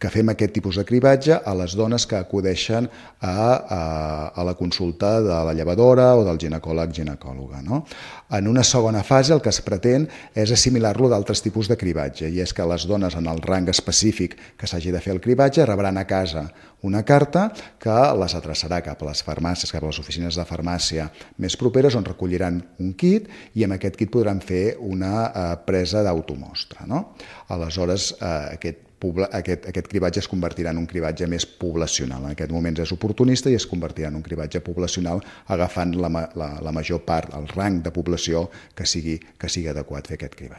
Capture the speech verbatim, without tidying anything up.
que fem aquest tipus de cribatge a les dones que acudeixen a, a, a la consulta de la llevadora o del ginecòleg-ginecòloga, no? En una segona fase el que es pretén és assimilar-lo d'altres tipus de cribatge, i és que les dones en el rang específic que s'hagi de fer el cribatge rebran a casa una carta que les adreçarà cap a les farmàcies, cap a les oficines de farmàcia més properes, on recolliran un kit i amb aquest kit podran fer una eh, presa d'automostra, no? Aleshores, eh, aquest Aquest, aquest cribatge es convertirà en un cribatge més poblacional. En aquest moment és oportunista i es convertirà en un cribatge poblacional agafant la, la, la major part, el rang de població que sigui, que sigui adequat fer aquest cribatge.